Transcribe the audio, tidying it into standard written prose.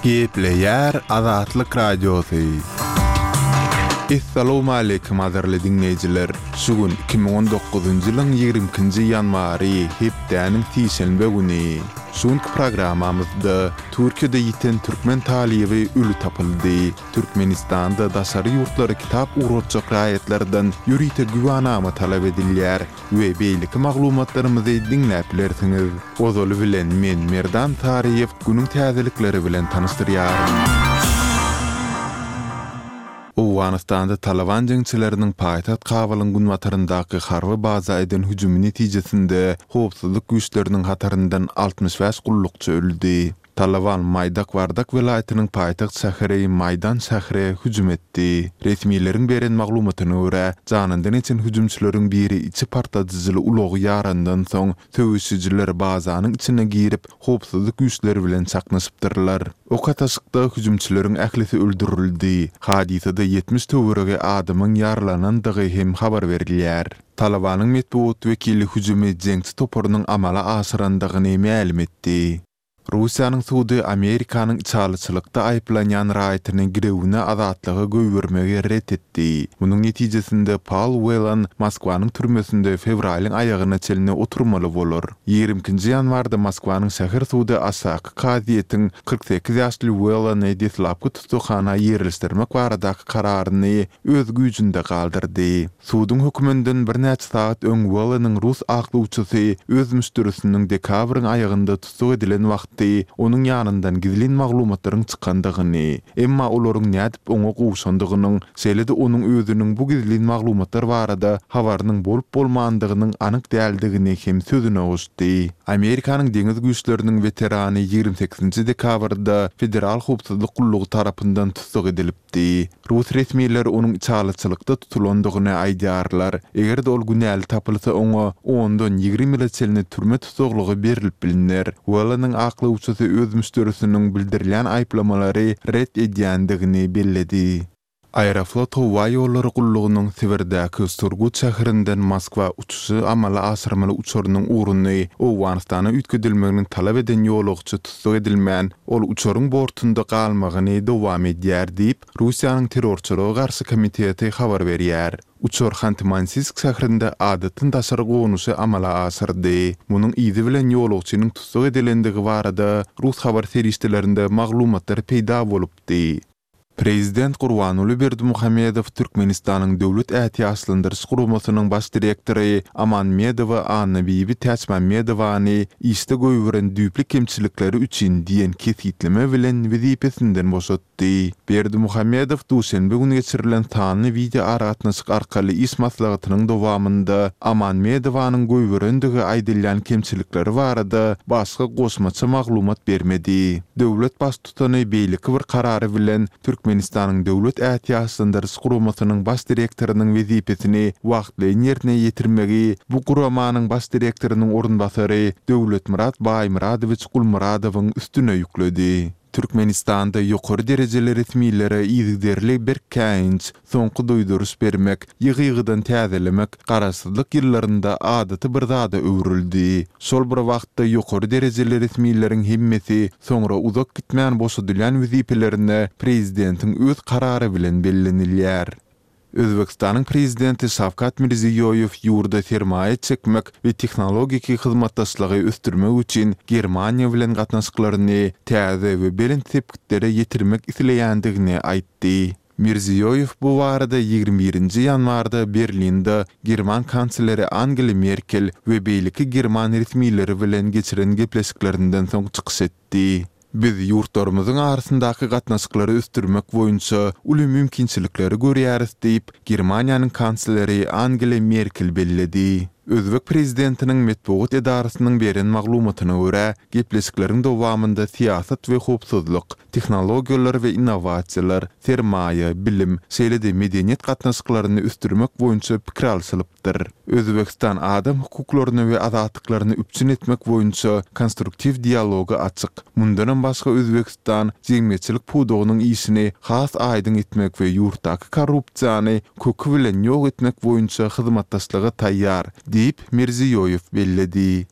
Gepleýär Azatlyk Radiosy. Essalowmaleýkim gadyrly diňleýjiler! Şu gün 2019-njy ýylyň 22-nji ýanwary, hepdäniň sişenbe güni. Şu günki programmamyzda Türkiýede ýiten türkmen talyby öli tapyldy. Türkmenistanda daşary ýurtlara kitap ugratjak raýatlardan ýörite güwanama talap edilýär we beýleki maglumatlarymyzy diňläp bilersiňiz. Ozaly bilen men Merdan Saryýew günüň täzelikleri bilen tanyşdyrýaryn. Owganystanda Talyban jeňçileriniň paýtagt Kabulyň günbataryndaky harby baza eden hüjümi netijesinde howpsuzlyk güýçleriniň hataryndan 65 gullukçy öldi. Talyban Maýdak Wardak welaýatynyň paýtagt şäheri Maýdan şähre hüjüm etdi. Resmileriň beren maglumatyna görä, janyndan geçen hüjümçileriň biri içi partladyjyly ulagy ýarandan soň, söweşijiler bazanyň içine girip, howpsuzlyk güýçleri bilen çaknyşypdyrlar. Ok atyşykda hüjümçileriň ählisi öldürildi. Hadysada 70 töweregi adamyň ýaralanandygy hem habar berilýär. Talybanyň metbugat wekili hüjümi jeňçi toparynyň amala aşyrandygyny mälim etdi. Russiýanyň sudy Amerikanyň içalyçylykda aýyplanýan raýatyny girewine azatlyga goýbermegi ret etdi. Munuň netijesinde Paul Whelan Moskwanyň türmesinde fewralyň aýagyna çenli oturmaly bolar. Ýigrimi ikinji ýanwarda Moskwanyň şäher sudy aşaky kazyýetiň 48 ýaşly Whelany deslapky tussaghana ýerleşdirmek baradaky kararyny öz güýjünde galdyrdy. Suduň höküminden birnäçe sagat öň Welleniň rus aklawçysy öz müşderisiniň dekabryň aýagynda tussag edilen wagty onuň ýanyndan gizlin maglumatlaryň çykandygyny, emma olaryň nädip oňa gowşandygynyň, şeýle-de onuň özüniň bu gizlin maglumatlar barada habarynyň bolup-bolmandygynyň anyk däldigini hem sözüne goşdy. Amerikanyň deňiz güýçleriniň weterany 28-nji dekabrda Federal howpsuzlyk gullugy tarapyndan tussag edilipdi. Diýdi. Rus resmileri onuň içalyçylykda tutulandygyny aýdýarlar. Eger-de ol günäli tapylsa oňa ondan 20 ýyla çenli türme tussaglygy berlip bilner. Welleniň aklawçysy öz müşderisiniň bildirilýän aýyplamalary ret edýändigini belledi. Aeroflot howa ýollary gullugynyň Sibirdäki Surgut şäherinden Moskwa uçuşy amala aşyrmaly uçarynyň ugruny Owganystana üýtgedilmegini talap eden ýolagçy tussag edilmän, Ol uçaryň bortunda galmagyny dowam edýär diýip, Russiýanyň Terrorçylyga garşy komiteti habar berýär. Uçar Hanty-Mansiýsk şäherinde adatdan daşary gonuşy amala aşyrdy. Munuň yzy bilen ýolagçynyň tussag edilendigi barada rus habar serişdelerinde maglumatlar peýda bolupdy. Prezident Gurbanguly Berdimuhamedow Türkmenistanyň Döwlet ätiýaçlandyryş guramasynyň baş direktory Amanmedowa Annabibi Täçmämmedowany işde goýberen düýpli kemçilikleri üçin diýen kesgitleme bilen wezipesinden boşatdy. Berdimuhamedow duşenbe güni geçirilen sanly wideoaragatnaşyk arkaly iş maslahatynyň dowamynda Amanmedowanyň goýberendigi aýdylýan kemçilikleri barada başga goşmaça maglumat bermedi. Döwlet Baştutany beýleki bir karary bilen Türkmenistanyň Döwlet ätiýaçlandyryş guramasynyň baş direktorynyň wezipesini wagtlaýyn ýerine ýetirmegi bu guramanyň baş direktorynyň orunbasary Döwletmyrat Baýmyradowiç Gulmyradowyň üstüne ýükledi. Türkmenistanda ýokary derejeli resmilere yzygiderli berk käýinç, soňky duýduryş bermek, ýygy-ýygydan täzelemek garaşsyzlyk ýyllarynda adaty bir zada öwrüldi. Şol bir wagtda ýokary derejeli resmileriň hemmesi soňra uzak gitmän boşadylýan wezipelerine prezidentiň öz karary bilen bellenilýär. Özbegistanyň prezidenti Şawkat Mirziýoýew ýurda sermaýa çekmek we tehnologik hyzmatdaşlygy ösdürmek üçin Germaniýa bilen gatnaşyklaryny täze we belent sepgitlere ýetirmek isleýändigini aýtdy. Mirziýoýew bu barada 21-nji ýanwarda Berlinde german kansleri Angela Merkel we beýleki german resmileri bilen geçiren gepleşiklerinden soň çykyş etdi. Biz ýurtlarymyzyň arasyndaky gatnaşyklary ösdürmek boýunça uly mümkinçilikleri görýäris diýip, Germaniýanyň kansleri Angela Merkel belledi. Özbek prezidentiniň metbugat edarasynyň beren maglumatyna görä, gepleşikleriň dowamynda syýasat we howpsuzlyk, tehnologiýalar we innowasiýalar, sermaýa, bilim, şeýle-de medeniýet gatnaşyklaryny ösdürmek boýunça pikir alşylypdyr. Özbegistan adam hukuklaryny we azatlyklaryny üpjün etmek boýunça konstruktiw dialoga açyk. Mundanam başga Özbegistan jemgyýetçilik pudagynyň işini has aýdyň etmek we ýurtdaky korrupsiýany köki bilen ýok etmek boýunça hyzmatdaşlyga taýýar, diýip, Mirziýoýew belledi.